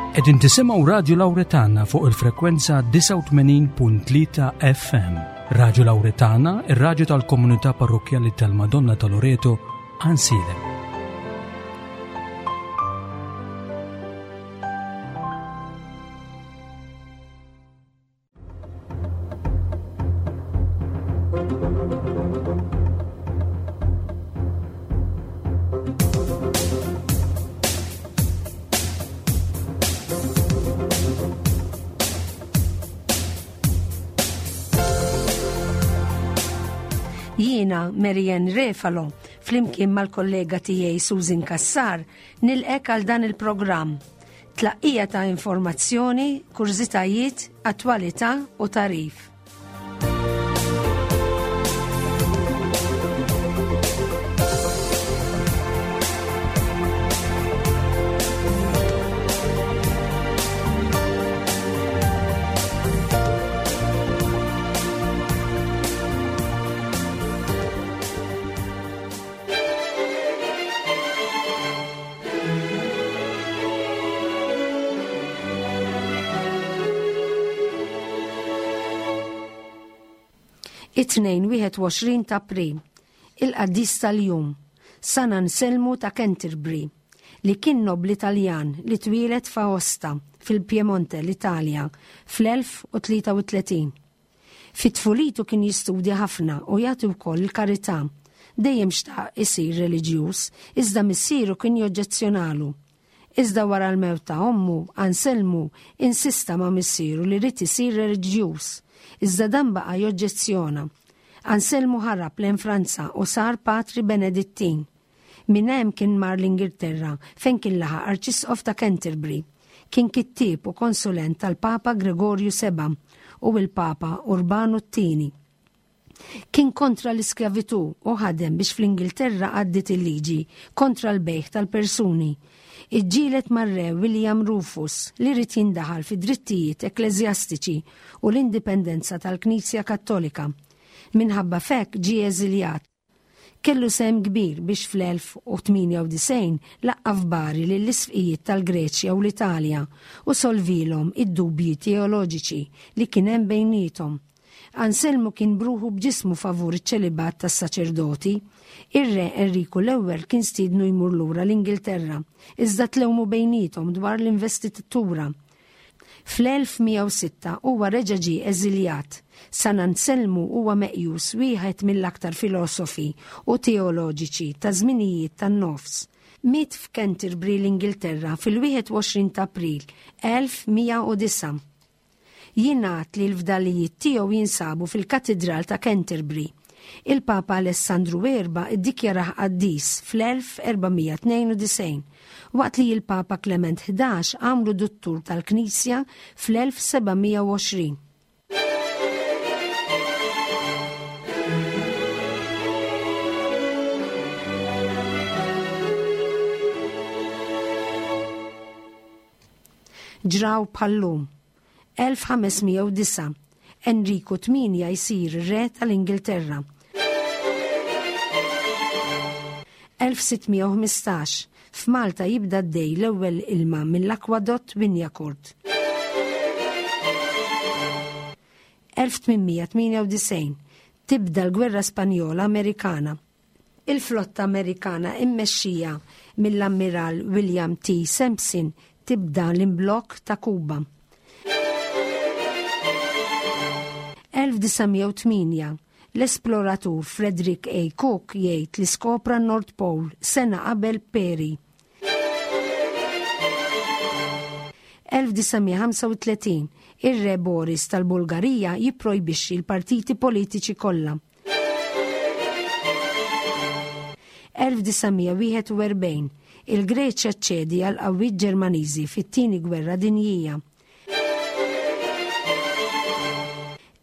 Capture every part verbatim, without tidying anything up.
Qegħdin tisimgħu Radju Lawretana fuq il-frekwenza disgħa u tmenin punt tlieta F M. Radju Lawretana, ir-radju tal-komunità parrokkjali tal-Madonna ta' Loreto, Għajnsielem. Jiena Marianne Refalo, flimkien mal-kollega tiegħi Susan Cassar, nilqek għal dan il-programm. Tlaqqija ta' informazzjoni, kurżitajiet, attwalità u tarif. It-tnejn wieħed u għoxrin ta' April, il-qaddis tal-jum, San Anselmu ta' Canterbury, li kien nobli Taljan li twieled f'Aosta, fil-Piemonte, l-Italja, fl-elf u tlieta u tletin. Fit-tfulitu kien jistudja ħafna u jagħti wkoll il-karità. Dejjem xtaq isir reliġjuż, iżda missieru kien joġġezzjonalu. Iżda wara l-mewt ta' ommu, Anselmu insista ma' missieru li ried isir reliġjuż, iżda dan baqa' joġġezzjona. Anselmu ħarab lejn Franza u sar patri Benedittin. Minn hemm kien mar l-Ingilterra fejn kien laħaq arċisqof ta' Canterbury. Kien kittieb u konsulent tal-Papa Gregorju seba' u l-Papa Urbanu t-tieni. Kien kontra l-iskjavitu u ħadem biex fl-Ingilterra għaddit il-liġi kontra l-bejħ tal-persuni. Iġġieled mar-re William Rufus li ried jindaħal fi drittijiet ekkleżjastiċi u l-indipendenza tal-Knisja Kattolika. Minħabba f'hekk ġie eżiljat. Kellu sehem kbir biex fl-elf u tmienja u disgħin laqqa' f'Bari lill-isfqijiet tal-Greċja u l-Italja u solvilhom id-dubji teoloġiċi li kien hemm bejniethom. Anselmu kien bruħu b'ġismu favur iċ-ċelibat tas-saċerdoti. Ir-re Enriku l-ewwel kien stiednu jmur lura l-Ingilterra, iżda tlewmu bejniethom dwar l-investitura. Fl-elf mija u sitta huwa reġa' ġie eżiljat. San Anselmu huwa meqjus wieħed mill-aktar filosofi u teoloġiċi ta' żminijiet tan-nofs. Miet f'Canterbury l-Ingilterra fil-wieħed u għoxrin ta' April elf mija u disa'. Jingħad li l-fdalijiet tiegħu jinsabu fil-Katidral ta' Canterbury. Il-Papa Alessandru erba' iddikjarah qaddis fl-elf erbamija tnejn u disgħin, waqt li l-Papa Clement ħdax għamlu duttur tal-Knisja fl-elf sebgħamija u għoxrin. Ġraw bħallum. elf ħamesmija u disa', Enriku tmienja jsir re tal-Ingilterra. elf sittmija u ħmistax, f'Malta jibda d-dej l-ewwel ilma mill-akwadott Wignacourt. elf tmienmija tmienja u disgħin, tibda l-Gwerra Spanjola Amerikana. Il-flotta Amerikana immexxija mill-Ammiral William T. Sampson tibda l-imblokk ta' Kuba. elf disamija u tmienja, l-esploratur Frederick A. Cook jgħid li skopra North Pole sena qabel Peary. elf disamija ħamsa u tletin, ir-re Boris tal-Bulgarija jipprojbixxi l-partiti politiċi kollha. elf disamija wieħed u erbgħin, il-Greċja ċċedi għal qawwiet Ġermaniżi fit-tieni gwerra dinjija.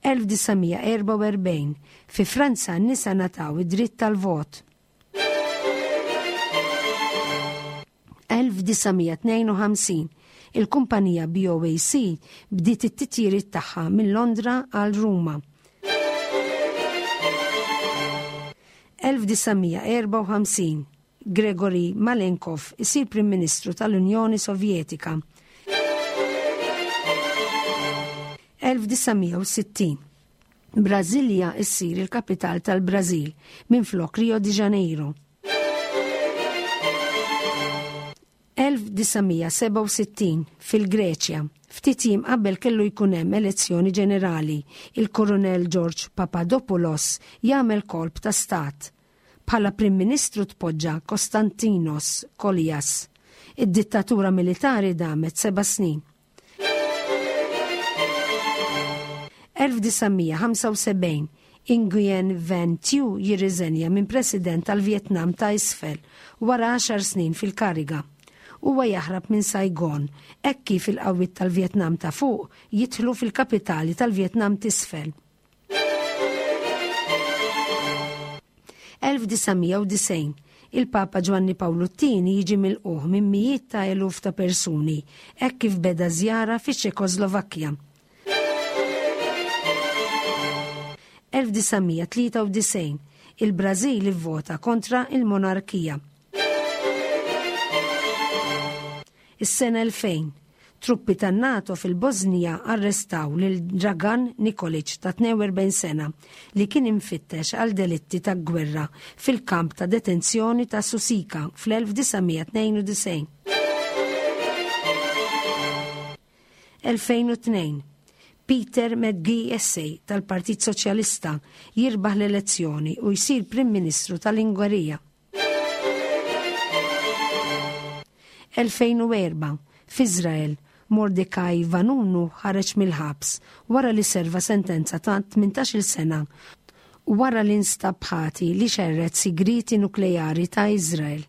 elf disamija erba' u erbgħin, fi Franza n-nisa ngħataw id-dritt tal-vot. elf disamija tnejn u ħamsin, il-kumpanija B O A C bdiet it-titjiriet tagħha minn Londra għal Ruma. elf disamija erba' u ħamsin, Gregory Malenkov isir Prim Ministru tal-Unjoni Sovjetika. elf disa' mija u sittin. Brasilia issir il-kapital tal-Brażil minflok Rio de Janeiro. elf disa' mija sebgħa u sittin fil-Greċja, ftit jiem qabel kellu jkun hemm elezzjoni ġenerali, il-Koronel George Papadopoulos jagħmel kolp ta' stat. Bħala Prim Ministru tpoġġa Konstantinos Kolias. Id-dittatura militari damet seba' snin. elf disa' mija ħamsa u sebgħin Nguyen Van Thieu jirriżenja minn President tal-Vjetnam ta' isfel wara għaxar snin fil-kariga. Huwa jaħrab minn Saigon, hekk kif il-qawwiet tal-Vjetnam ta' fuq jidħlu fil-kapitali tal-Vjetnam t'isfel. elf disa' mija u disgħin il-Papa Ġwanni Pawlu t-tieni jiġi milquh minn mijiet ta' eluf ta' persuni hekk kif beda żjara fiċ-Ċekoslovakkja. elf disa' mija tlieta u disgħin il-Brażil ivvota kontra il-monarkija. Is-sena elfejn, truppi tan-NATO fil-Bosnija arrestaw lil Dragan Nikolic ta' tnejn u erbgħin sena li kien imfittex għal delitti ta' gwerra fil-kamp ta' detenzjoni ta' Susika fl-elf disa' mija tnejn u disgħin. elfejn u tnejn, Peter McGee tal-Partit Soċjalista jirbaħ l-elezzjoni u jsir Prim Ministru tal-Ungerija. elfejn u erba', f'Iżrael, Mordecai Vanunu ħareġ mill-ħabs wara li serva sentenza ta' tmintax-il sena wara li nstab ħati li xerred sigriti nukleari ta' Iżrael.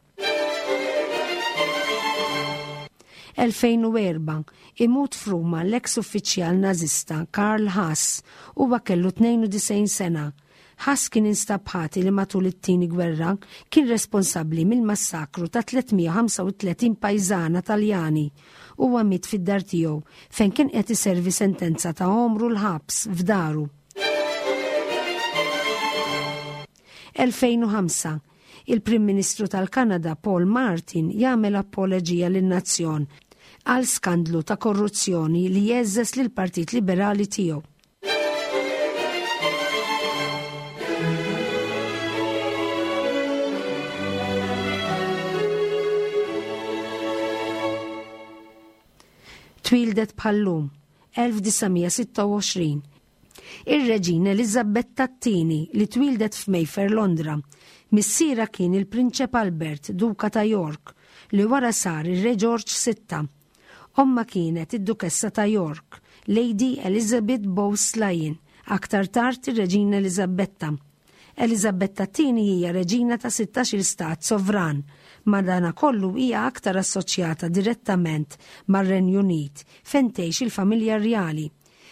elfejn u erba', imut f'Ruma l-eks uffiċjal nażista Karl Haas, huwa kellu tnejn u disgħin sena. Haas kien instab ħati li matul it-tieni gwerra kien responsabbli mill-massakru ta' tliet mija u ħamsa u tletin pajżana Taljani. Huwa miet fid-dar tiegħu fejn kien qed iservi sentenza ta' għomru l-ħabs f'daru. elfejn u ħamsa, il-Prim Ministru tal-Kanada Paul Martin jagħmel apoloġija lin-nazzjon għal skandlu ta' korruzzjoni li jeżżes lill-Partit Liberali tiegħu. Twildet bħallum, elf disa' mija sitta u għoxrin. Ir-Reġina Eliżabetta t-tieni li twildet f'Mayfair, Londra. Missiera kien il-Prinċep Albert, Duka ta' York, li wara sar ir-Re George sitta. Omma kienet id-Dukessa ta' York, Lady Elizabeth Bowes-Lyon, aktar tard ir-Reġina Eliżabetta. Eliżabetta t-tieni hija reġina ta' sittax-il stat sovran, madanakollu hija aktar assoċjata direttament mar-Renju Unit fejn tgħix il-familja rjali.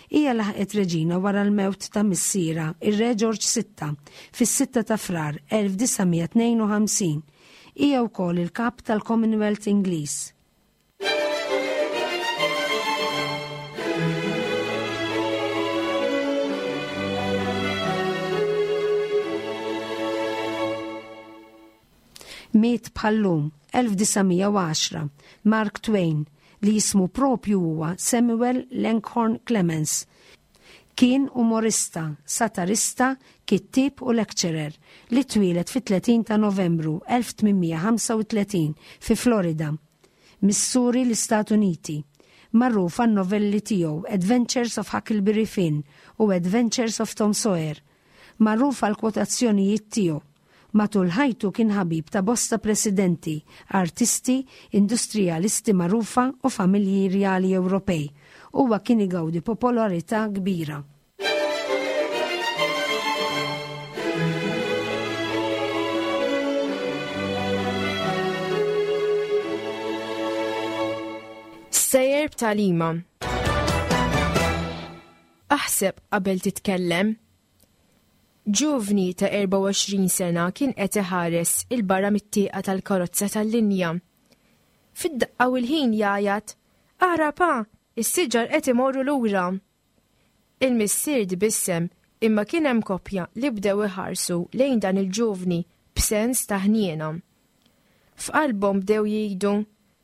Hija laħqet reġina wara l-mewt ta' missiera, ir-Re George sitta, fis-sitta ta' Frar elf disa' mija tnejn u ħamsin. Hija wkoll il-kap tal-Commonwealth Ingliż. Miet bħallum elf disa' mija u għaxra Mark Twain, li jismu propju huwa Samuel Langhorne Clemens. Kien umorista, satirista, kittieb u lecturer li twieled fit-tletin ta' Novembru elf tmien mija ħamsa u tletin fi Florida, Missouri, l-Istati Uniti. Magħruf għan-novelli tiegħu Adventures of Huckleberry Finn u Adventures of Tom Sawyer. Magħruf għal kwotazzjonijiet tiegħu. Matul ħajtu kien ħabib ta' bosta presidenti, artisti, industrijalisti magħrufa u familji rjali Ewropej. Huwa kien igawdi popolarità kbira. Sejjer b'tagħlima. Aħseb qabel titkellem. Ġuvni ta' erbgħa u għoxrin sena kien qed iħares il-barra mit-tieqa tal-karozza tal-linja. Fid-daqqa u l-ħin jgħajat, Ara pa, is-siġar qed imorru lura. Il-missier tbissem imma kien hemm koppja li bdew iħarsu lejn dan il-ġuvni b'sens ta' ħniena. F'qalbhom bdew jgħidu,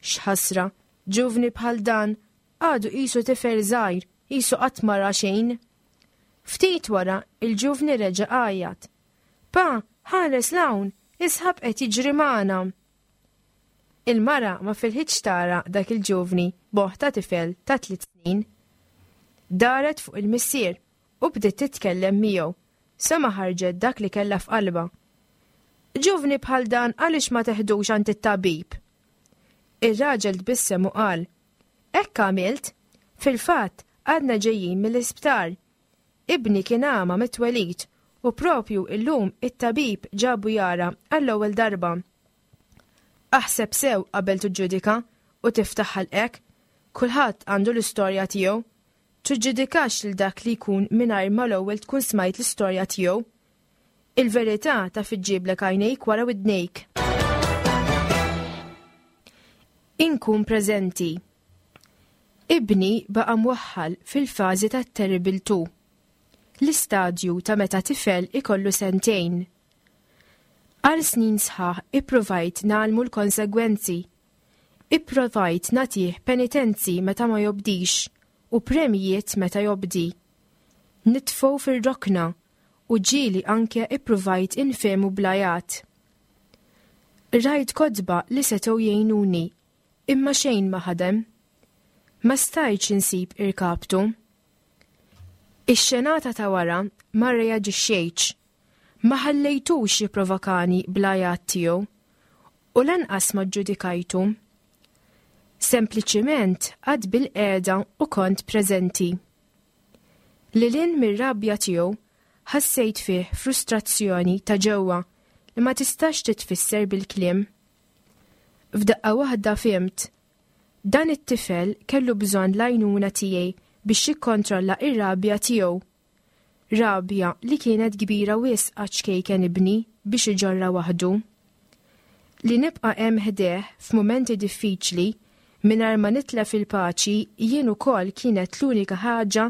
X'ħasra, ġuvni bħal dan għadu qisu tifel żgħir qisu qatt ma ra xejn. Ftit wara, il-ġuvni reġa' għajjat. Pa, ħares 'l hawn, is-sħab qed jiġri magħna. Il-mara ma filħitx tara dak il-ġuvni b'moħħ ta' tifel ta' tliet snin. Daret fuq il-missier u bdiet titkellem miegħu sa ma ħarġet dak li kellha f'qalbha. Ġuvni bħal dan għaliex ma teħdux għand it-tabib? Ir-raġel tbissem u qal, Hekk għamilt, fil-fatt għadna ġejjin mill-isptar. Ibni kien għama mit-twelid u propju illum it-tabib ġabu jara għall-ewwel darba. Aħseb sew qabel tiġġudika u tiftaħ ħalqek, kulħadd għandu l-istorja tiegħu. Tiġġudikax lil dak li jkun mingħajr ma l-ewwel tkun smajt l-istorja tiegħu. Il-verità taf iġġiblek għajnejk wara widnejk. Inkun preżenti. Ibni baqa' mwaħħal fil-fażi tat-Terrible Two, l-istadju ta' meta tifel ikollu sentejn. Għal snin sħaħ ippruvajt ngħallmu l-konsegwenzi. Ipprovajt nagħtih penitenzi meta ma jobdix u premjijiet meta jobdi. Nitfgħu fir-rokna u ġieli anke ippruvajt infehmu bl-għajat. Rajt kotba li setgħu jgħinuni, imma xejn ma ħadem. Ma stajtx insib irkaptu. Ix-xenata ta' wara ma rreaġixxejtx. Ma ħallejtux jipprovokani bl-għajat tiegħu u lanqas ma ġġudikajtu. Sempliċiment qgħadt bilqiegħda u kont preżenti. Lil hinn mir-rabja tiegħu ħassejt fih frustrazzjoni ta' ġewwa li ma tistax titfisser bil-kliem. F'daqqa waħda fhimt. Dan it-tifel kellu bżonn l-għajnuna tiegħi biex jikkontrolla ir-rabja tiegħu. Rabja li kienet kbira wisq għaċ-ċkejken ibni biex iġorra waħdu. Li nibqa' hemm ħdejh f'mumenti diffiċli mingħajr ma nitlef il-paċi jien ukoll kienet l-unika ħaġa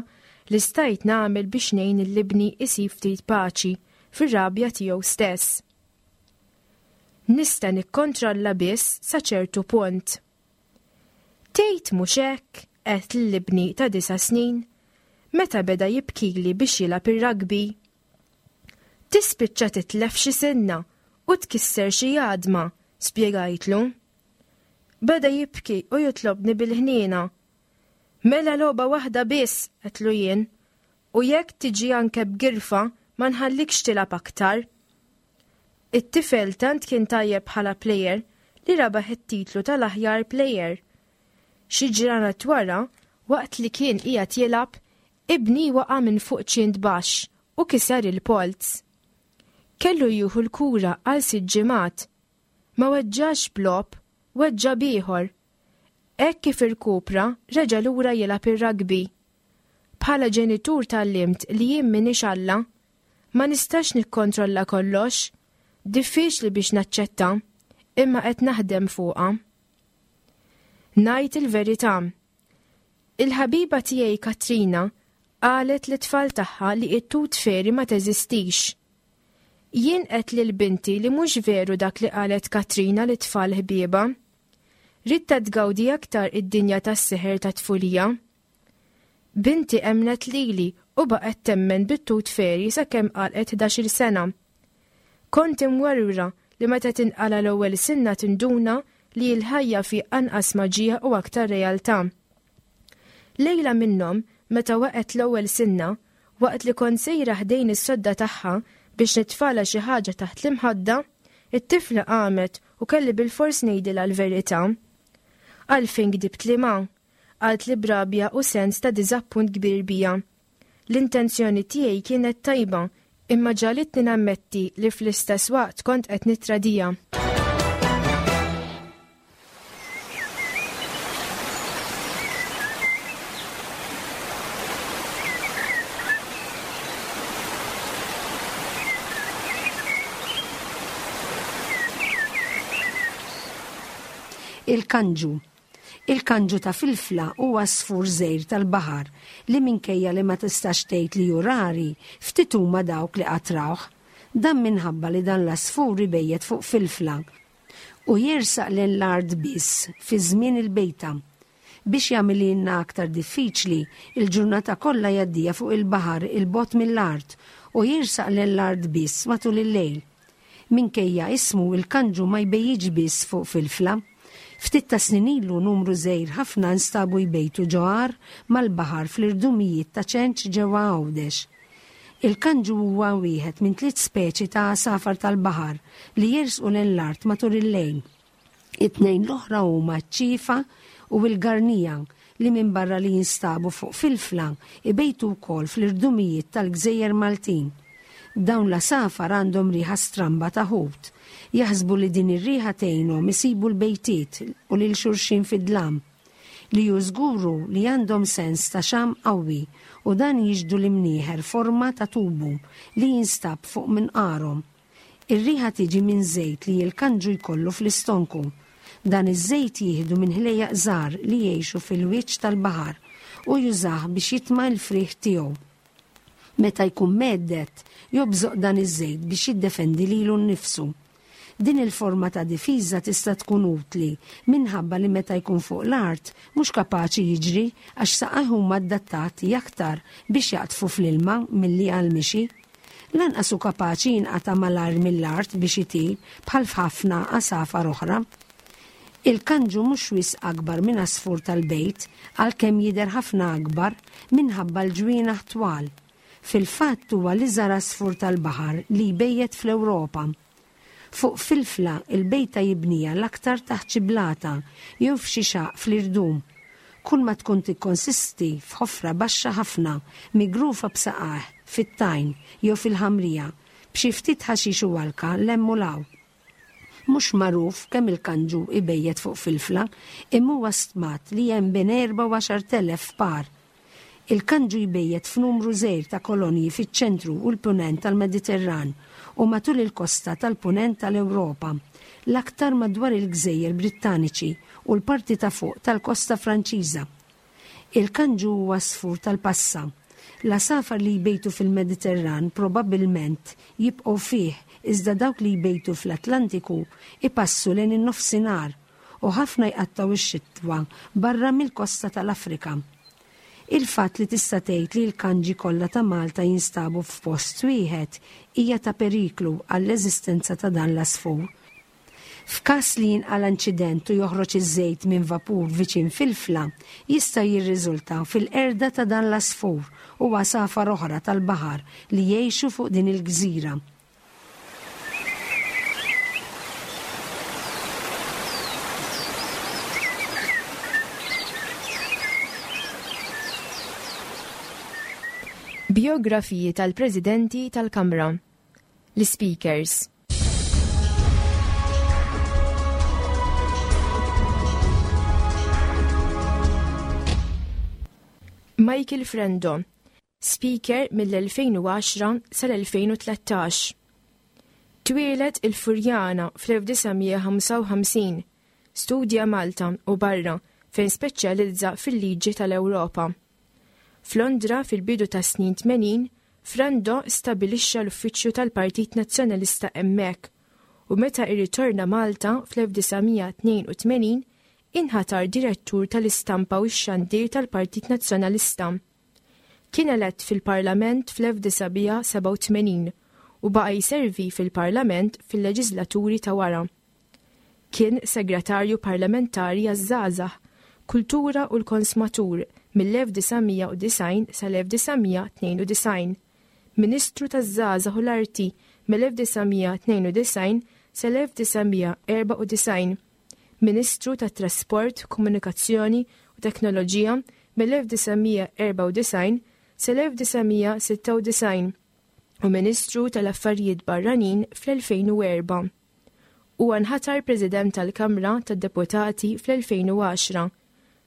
li stajt nagħmel biex ngħin lil ibni isib ftit paċi fir-rabja tiegħu stess. Nista' nikkontrolla biss sa ċertu punt. Tgħid mhux hekk, għedt lil ibni ta' disa' snin, meta beda jibkili biex jilgħab ir-rugby. Tispiċċa titlef xi sinna u tkisser xi għadma, spjegajtlu. Beda jibki u jitlobni bil-ħniena. Mela logħba waħda biss, għedtlu jien, u jekk tiġi anke b'girfa ma nħallikx tilgħab aktar. It-tifel tant kien tajjeb bħala plejer li rabaħ it-titlu tal-aħjar plejer. Xi ġranet wara, waqt li kien qiegħed jilgħab, ibni waqa' minn fuq ċint baxx u kiser il-polz. Kellu jieħu l-kura għal sitt ġimgħat. Ma weġġax b'logħob, weġġa' b'ieħor. Hekk kif irkupra, reġa' lura jilgħab ir-rugby. Bħala ġenitur tgħallimt li jien m'iniex Alla. Ma nistax nikkontrolla kollox. Diffiċli biex naċċetta, imma qed naħdem fuqha. Ngħid il-verità. Il-ħabiba tiegħi Katrina qalet lit-tfal tagħha li t-tooth fairy ma teżistix. Jien għedt lil binti li mhux veru dak li qalet Katrina lit-tfal ħbiebha. Ridtha tgawdi aktar id-dinja tas-seħer ta' tfulija. Binti emnet lili u baqgħet temmen bit-tooth fairy sakemm għalqet ħdax-il sena. Kont imwerwra li meta tinqala l-ewwel sinna tinduna li l-ħajja fi anqas maġija u aktar realtà. Lejla minnhom, meta waqgħet l-ewwel sinna, waqt li kont sejra ħdejn is-sodda tagħha biex nitfala xi ħaġa taħt l-imħadda, it-tifla qamet u kelli bilfors ngħidilha l-verità. Għalfejn kdibt li ma, qalt li b'rabja u sens ta' diżappunt kbir bija. L-intenzjoni tiegħi kienet tajba, imma ġagħlitni nammetti li fl-istess waqt kont qed nitradija. Il-kanġu. Il-kanġu ta' filfla huwa għasfur żgħir tal-baħar li minkejja li ma tistax tgħid li hu rari, ftit huma dawk li qatt rawh. Dan minħabba li dan l-għasfur ibejjet fuq filfla u jersaq lejn l-art biss fi żmien il-bejta. Biex jagħmililna aktar diffiċli, il-ġurnata kollha jgħaddiha fuq il-baħar 'il bogħod mill-art u jersaq lejn l-art biss matul il-lejl. Minkejja ismu il-kanġu ma jbejjitx biss fuq filfla. Ftit ta' snin ilu numru żgħir ħafna nstabu jbejtu ġo għar mal-baħar fl-irdumijiet ta' Ċenċ ġewwa Għawdex. Il-kanġu huwa wieħed minn tliet speċi ta' għasafar tal-baħar li jersqu lejn l-art matul il-lejl. It-tnejn l-oħra huma ċ-ċiefa u l-garnija li minbarra li jinstabu fuq filfla ibejtu wkoll fl-irdumijiet tal-gżejjer Maltin. Dawn l-għasafar għandhom riħa stramba ta' ħut. Jaħsbu li din ir-riħa tgħinhom isibu l-bejtiet u lil xulxin fid-dlam. Li hu żgur hu li għandhom sens ta' xam qawwi u dan jixhdu l-imnieħer forma ta' tubu li jinstab fuq minqarhom. Ir-riħa tiġi minn żejt li l-kanġu jkollu fl-istonku. Dan iż-żejt jieħdu minn ħlejjaq żgħar li jgħixu fil-wiċċ tal-baħar u jużah biex jitma' l-frieħ tiegħu. Meta jkun mhedded, jobżoq dan iż-żejt biex jiddefendi lilu nnifsu. Din il-forma ta' difiża tista' tkun utli minħabba li meta jkun fuq l-art mhux kapaċi jiġri għax saqajh huma adattati aktar biex jaqdfu fl-ilma milli għall-mixi. Lanqas hu kapaċi jinqata' malajr mill-art biex itir bħal f'ħafna għasafar oħra. Il-kanġu mhux wisq akbar minn għasfur tal-bejt għalkemm jidher ħafna akbar minħabba l-ġwienaħ twal. Fil-fatt huwa l-iżgħar għasfur tal-baħar li jbejjet fl-Ewropa. Fuq filfla il-bejta jibnija l-aktar taħt xi blata jew f'xi xaq fl-irdum. Kull ma tkun tikkonsisti f'ħofra baxxa ħafna migrufa b'saqajh fit-tajn jew fil-ħamrija b'xi ftit ħaxix u alka 'l hemm u 'l hawn. Mhux magħruf kemm il-kanġu ibejjet fuq filfla, imma huwa stmat li hemm bejn erba' u għaxart elef par. Il-kanġu jbejjet f'numru żgħir ta' kolonji fiċ-ċentru u l-punent tal-Mediterran u matul il-kosta tal-punent tal-Ewropa, l-aktar madwar il-Gżejjer Brittaniċi u l-parti ta' fuq tal-kosta Franċiża. Il-kanġu huwa għasfur tal-passa. L-għasafar li jbejtu fil-Mediterran probabbilment jibqgħu fih, iżda dawk li jbejtu fl-Atlantiku ipassu lejn in-nofsinhar u ħafna jqattgħu x-xitwa barra mill-kosta tal-Afrika. Il-fatt li tista' tgħid li l-kanġi kollha ta' Malta jinstabu f'post wieħed hija ta' periklu għall-eżistenza ta' dan l-għasfur. F'każ li jinqala inċident u joħroġ iż-żejt minn vapur viċin filfla, jista' jirriżulta fil-qerda ta' dan l-għasfur u għasafar oħra tal-baħar li jgħixu fuq din il-gżira. Biografiji tal-Presidenti tal-Kamra. L-Speakers. Michael Frendo, Speaker mill-elfejn u għaxra sal-elfejn u tlettax. Twieled il-Furjana fl-elf disa' mija ħamsa u ħamsin, studja Malta u barra fejn speċjalizza fil-liġi tal-Ewropa. F'Londra fil-bidu ta' snin tmenin, Frendo stabilixxa l-uffiċċju tal-Partit Nazzjonalista hemmhekk u meta irritorna Malta fl-elf disa' mija tnejn u tmenin inħatar direttur tal-istampa u x-xandir tal-Partit Nazzjonalista. Kien elett fil-Parlament fl-elf disa' mija sebgħa u tmenin u baqa' jservi fil-Parlament fil-leġislaturi ta' wara. Kien segretarju parlamentari għaż-żgħażagħ, kultura u l-konsumatur mill-elf disa' mija u disgħin sal-elf disa' mija tnejn u disgħin, Ministru taż-żgħażagħ u l-Arti mill-elf disa' mija tnejn u disgħin sal-elf disa' mija erba' u disgħin, Ministru tat-Trasport, Komunikazzjoni u Teknoloġija mill-elf disa' mija erba' u disgħin sal-elf disa' mija sitta u disgħin u Ministru tal-Affarijiet Barranin fl-elfejn u erba'. Huwa nħatar President tal-Kamra tad-Deputati fl-elfejn u għaxra.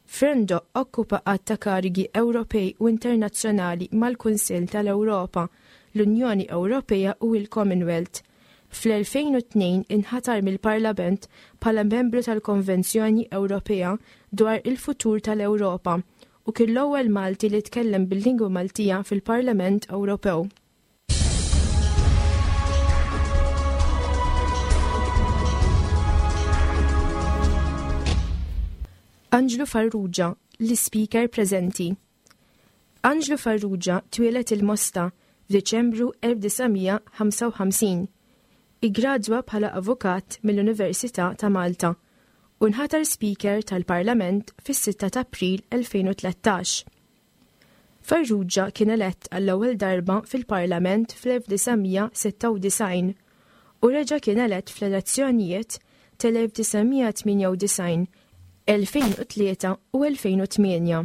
Frendo okkupa għadd ta' karigi Ewropej u internazzjonali mal-Kunsill tal-Ewropa, l-Unjoni Ewropea u l-Commonwealth. Fl-elfejn u tnejn inħatar mill-Parlament bħala membru tal-Konvenzjoni Ewropea dwar il-futur tal-Ewropa u kien l-ewwel Malti li tkellem bil-lingwa Maltija fil-Parlament Ewropew. Anġlu Farrugia, l-Ispeaker preżenti. Anġlu Farrugia twieled il-Mosta f'Diċembru elf disa' mija ħamsa u ħamsin. Iggradwa bħala avukat mill-Università ta' Malta u nħatar Speaker tal-Parlament fis-sitta ta' April elfejn u tlettax. Farrugia kien elett għall-ewwel darba fil-Parlament fl-elf disa' mija sitta u disgħin u reġa' kien elett fl-elezzjonijiet tal-elf disa' mija tmienja u disgħin, elfejn u tlieta u elfejn u tmienja.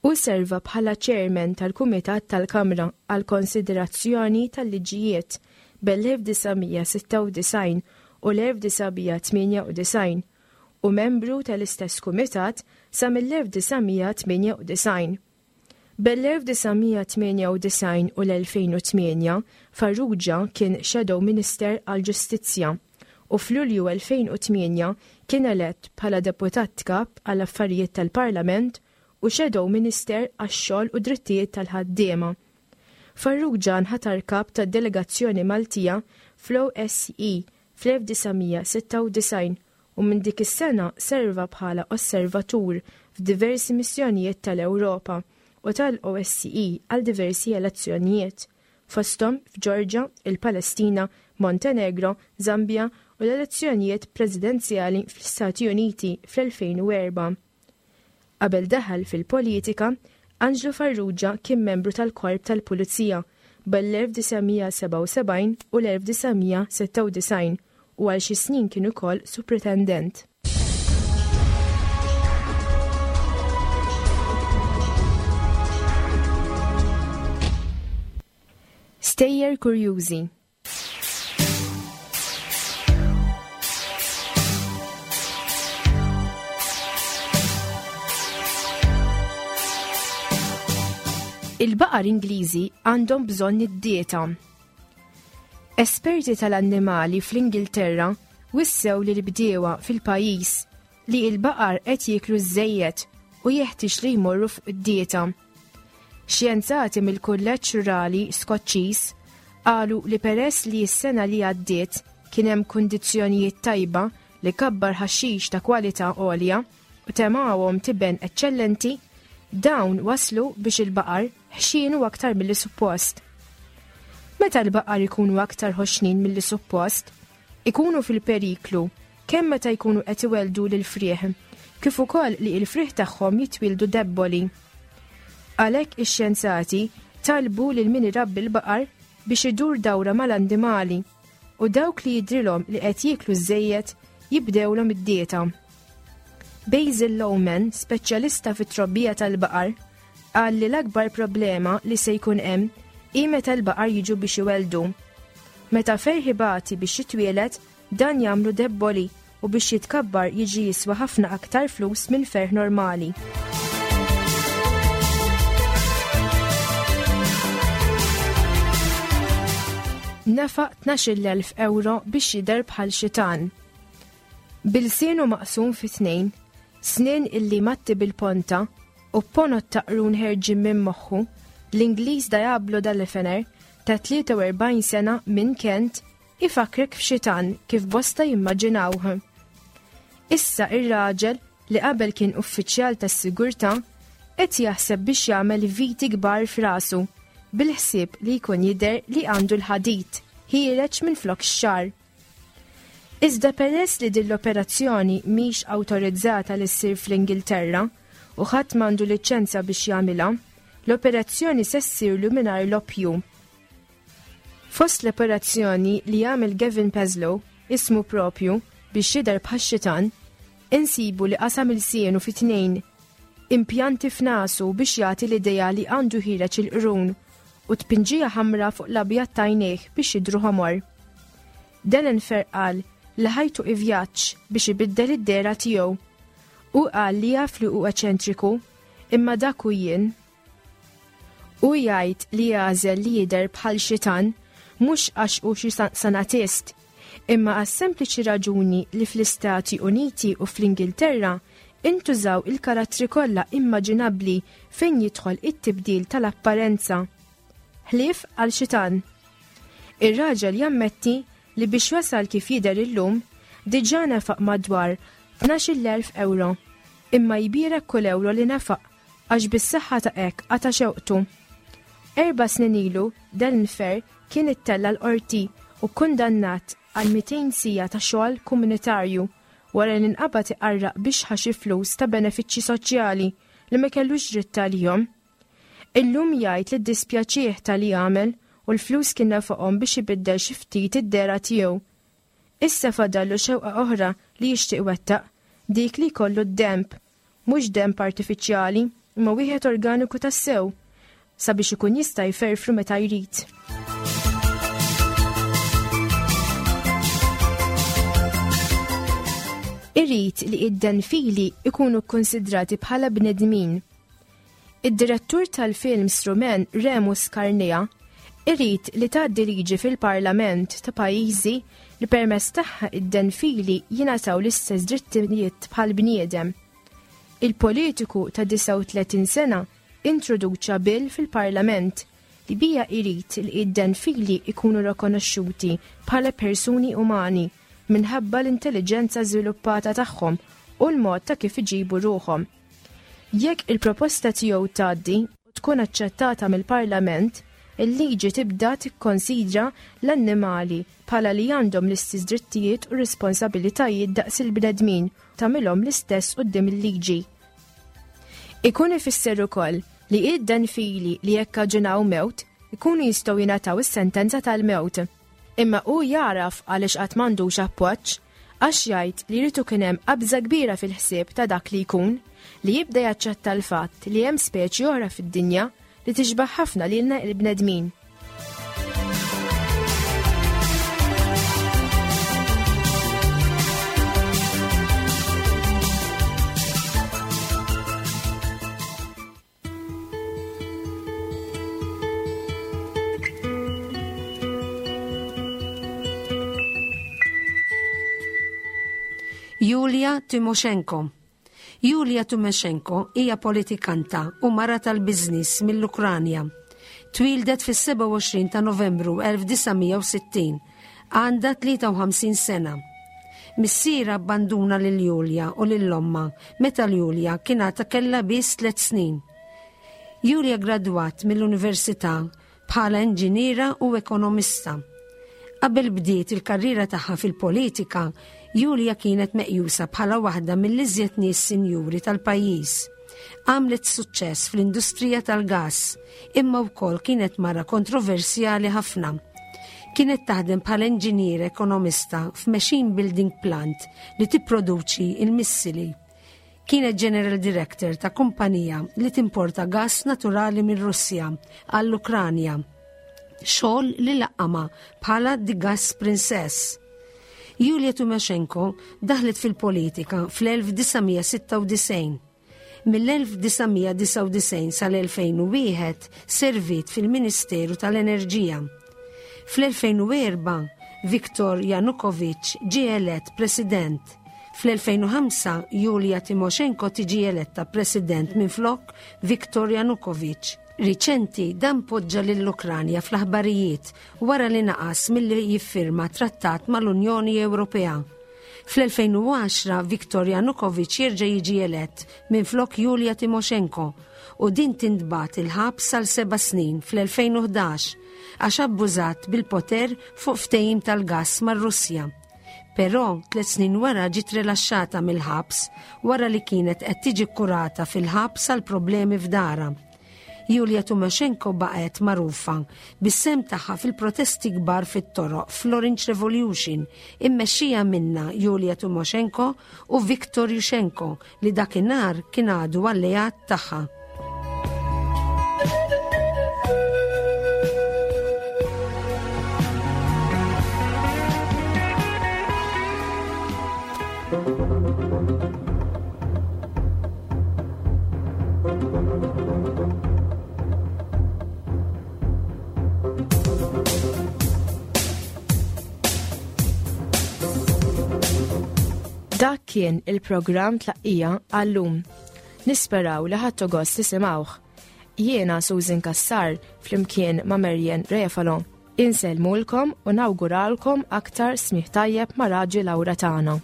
U serva bħala chairman tal-Kumitat tal-Kamra għal konsiderazzjoni tal-liġijiet bel-elf disa' mija sitta u disgħin u l-elf disa' mija tmienja u disgħin u membru tal-istess kumitat sa mill-elf disa' mija tmienja u disgħin. Bel-elf disa' mija tmienja u disgħin u l-elfejn u tmienja, Farrugia kien Shadow Minister għall-Ġustizzja u f'Lulju elfejn u tmienja kien elett bħala deputat kap għall-affarijiet tal-Parlament u Shadow Minister għax-xogħol u drittijiet tal-ħaddiema. Farrugia nħatar kap tad-delegazzjoni Maltija fl-O S C E fl-elf disa' mija sitta u disgħin u minn dik is-sena serva bħala osservatur f'diversi missjonijiet tal-Ewropa u tal-O S C E għal diversi elezzjonijiet, fosthom f'Ġorġa, il-Palestina, Montenegro, Zambia u l-elezzjonijiet presidenzjali fl-Istati Uniti fl-elfejn u erba'. Qabel daħal fil-politika, Anġlu Farrugia kien membru tal-Korp tal-Pulizija bel-elf disa' mija sebgħa u sebgħin u l-elf disa' mija sitta u disgħin u għal xi snin kien ukoll supretendent. Stejjer kurjużi. Il-baqar Ingliżi għandhom bżonn id-dieta. Esperti tal-annimali fl-Ingilterra wissew li l-bdiewa fil-pajjiż li l-baqar qed jieklu żejjed u jeħtieġ li jmorru fuq id-dieta. Xjenzati mill-Kulleġġ Rurali Skoċċiż qalu li peress li s-sena li għaddiet kien hemm kundizzjonijiet tajba li kabbar ħaxix ta' kwalità għolja u temawhom tiben eċċellenti, dawn waslu biex il-baqar ħxienu aktar milli suppost. Meta l-baqar ikunu aktar ħoxnin milli suppost, ikunu fil-periklu kemm meta jkunu qed iweldu lil frieħ, kif ukoll li l-frieħ tagħhom jitwildu debboli. Għalhekk ix-xjenzati talbu lil min irabbi l-baqar biex idur dawra mal-annimali u dawk li jidrilhom li qed jieklu żejjed jibdewlhom id-dieta. Basil Lowman, speċjalista fit-trobbija tal-baqar, qal li l-akbar problema li se jkun hemm hi meta l-baqar jiġu biex iweldu. Meta ferħi bati biex jitwielet, dan jagħmlu debboli u biex jitkabbar jiġi jiswa ħafna aktar flus minn ferħ normali. Nefaq tnax-il elf euro biex jidher bħal xitan. Bilsienu maqsum fi tnejn, snien illi matti bil-ponta u ponot taqrun ħerġin minn moħħu, l-Ingliż Diablo Dallefener ta' tlieta u erbgħin sena minn Kent ifakrek f'xitan kif bosta jimmaġinawh. Issa ir-raġel li qabel kien uffiċjal tas-sigurtà qed jaħseb biex jagħmel viti kbar f'rasu bil-ħsieb li jkun jidher li għandu l-ħadid ħiereġ minn flok x-xagħar. Iżda peress li din l-operazzjoni mhix awtorizzata li ssir fl-Ingilterra u ħadd m'għandu liċenza biex jagħmilha, l-operazzjoni se ssirlu mingħajr l-oppju. Fost l-operazzjoni li jagħmel Gavin Paslow, ismu propju, biex jidher bħax-xitan, insibu li qasam il-sienu fi tnejn, impjanti f'nasu biex jagħti l-idea li għandu ħireġ il-qrun u tpinġija ħamra fuq l-abjad t'għajnejh biex jidhru ħomor. Dallefener qal li ħajtu ivjaġġ biex ibiddel id-dehra tiegħu. U qal li jaf li hu eċentriku, imma dak hu jien. U jgħid li jagħżel li jidher bħal xitan mhux għax hu xi san-, sanatist, imma għas sempliċi raġuni li fl-Istati Uniti u fl-Ingilterra intużaw il-karattri kollha immaġinabbli fejn jidħol it-tibdil tal-apparenza. Ħlief għal xitan. Ir-raġel jammetti li biex wasal kif jidher illum diġà nefaq madwar tnax-il elf euro. Imma jbierek kull ewro li nefaq għax bis-saħħa ta' hekk qata' xewqtu. Erba' snin ilu Delnfer kien ittella' l-qorti u kundannat għal mitejn siegħa ta' xogħol komunitarju wara li nqabad iqarraq biex ħa xi flus ta' benefiċċji soċjali li ma kellux dritt għalihom. Illum jgħid li ddispjaċih ta' li għamel u l-flus kien nefaqhom biex ibiddel xi ftit id-dehra tiegħu. Issa fadallu xewqa oħra li jixtieq iwettaq, dik li jkollu d-demb, mhux demb artifiċjali, imma wieħed organiku tassew, sabiex ikun jista' jferfru meta jrid. Irrid li id-denfili ikunu kkonsidrati bħala bnedmin. Id-direttur tal-films Rumen Remus Carnea irrid li tgħaddi liġi fil-Parlament ta' pajjiżi li permezz tagħha id-denfili jingħataw l-istess drittijiet bħal bniedem. Il-politiku ta' disgħa u tletin sena introduċa bill fil-Parlament li bija jrid li id-denfili ikunu rikonoxxuti bħala persuni umani minħabba l-intelligenza żviluppata tagħhom u l-mod ta' kif iġibu ruħhom. Jekk il-proposta tiegħu tgħaddi u tkun aċċettata mill-Parlament, il-liġi tibda tikkonsidra l-annimali bħala li għandhom l-istess drittijiet u responsabilitajiet daqs il-bnedmin u tagħmilhom l-istess quddiem il-liġi. Ikun ifisser ukoll li id-denfili li jekkaġunaw mewt ikunu jistgħu jingħataw is-sentenza tal-mewt. Imma hu jaraf għaliex qatt m'għandux appoġġ, għax jgħid li jrid ikun hemm qabża kbira fil-ħsieb ta' dak li jkun, li jibda jaċċetta l-fatt li hemm speċi oħra fid-dinja li tixbaħ ħafna lilna l-bnedmin. Julia Tymoshenko. Julia Tymoshenko hija politikanta u mara tal-biznis mill-Ukranja. Twildet fis-sebgħa u għoxrin ta' Novembru elf disa' mija u sittin, għandha tlieta u ħamsin sena. Missiera abbanduna lil Julia u lil omma meta Julia kien għadha kellha biss tliet snin. Julia gradwat mill-università bħala inġiniera u ekonomista. Qabel bdiet il-karriera tagħha fil-politika, Julia kienet meqjusa bħala waħda mill-iżjed nies sinjuri tal-pajjiż. Għamlet suċċess fl-industrija tal-gas, imma wkoll kienet mara kontroversjali ħafna. Kienet taħdem bħala inġinier ekonomista f'machine building plant li tipproduċi il-missili. Kienet general director ta' kumpanija li timporta gas naturali minn Russja għall-Ukranja. Xogħol li laqqama bħala The Gas Princess. Julia Tymoshenko daħlet fil-politika fl-elf disa' mija sitta u disgħin. Mill-elf disa' mija disa' u disgħin sal-elfejn u wieħed servit fil-Ministeru tal-Enerġija. Fl-elfejn u erba' Viktor Yanukovych ġie elett president. Fl-elfejn u ħamsa Julia Tymoshenko tiġi eletta president minflok Viktor Yanukovych. Riċenti dan poġġa lill-Ukranja fl-aħbarijiet wara li naqas milli jiffirma trattat mal-Unjoni Ewropea. Fl-elfejn u għaxra Viktor Yanukovych jerġa' jiġi elett minflok Julia Tymoshenko u din tintbagħat il-ħabs għal seba' snin fl-elfejn u ħdax għax abbużat bil-poter fuq ftehim tal-gass mar-Russja. Però tliet snin wara ġiet rilaxxata mill-ħabs wara li kienet qed tiġi kkurata fil-ħabs għal problemi f'darha. Julia Tymoshenko baqgħet magħrufa bis-sehem tagħha fil-protesti kbar fit-toroq fl-Orange Revolution immexxija minna Julia Tymoshenko u Viktor Yushchenko li dakinhar kien għadu alleat tagħha. Dak kien il-programm Tlaqqija għallum. Nisperaw li ħadtu gost tisimgħuh. Jiena Susan Cassar flimkien ma' Marian Refalo. Insellmulkom u nawguralkom aktar smigħ tajjeb ma' Raġi Laura tagħna.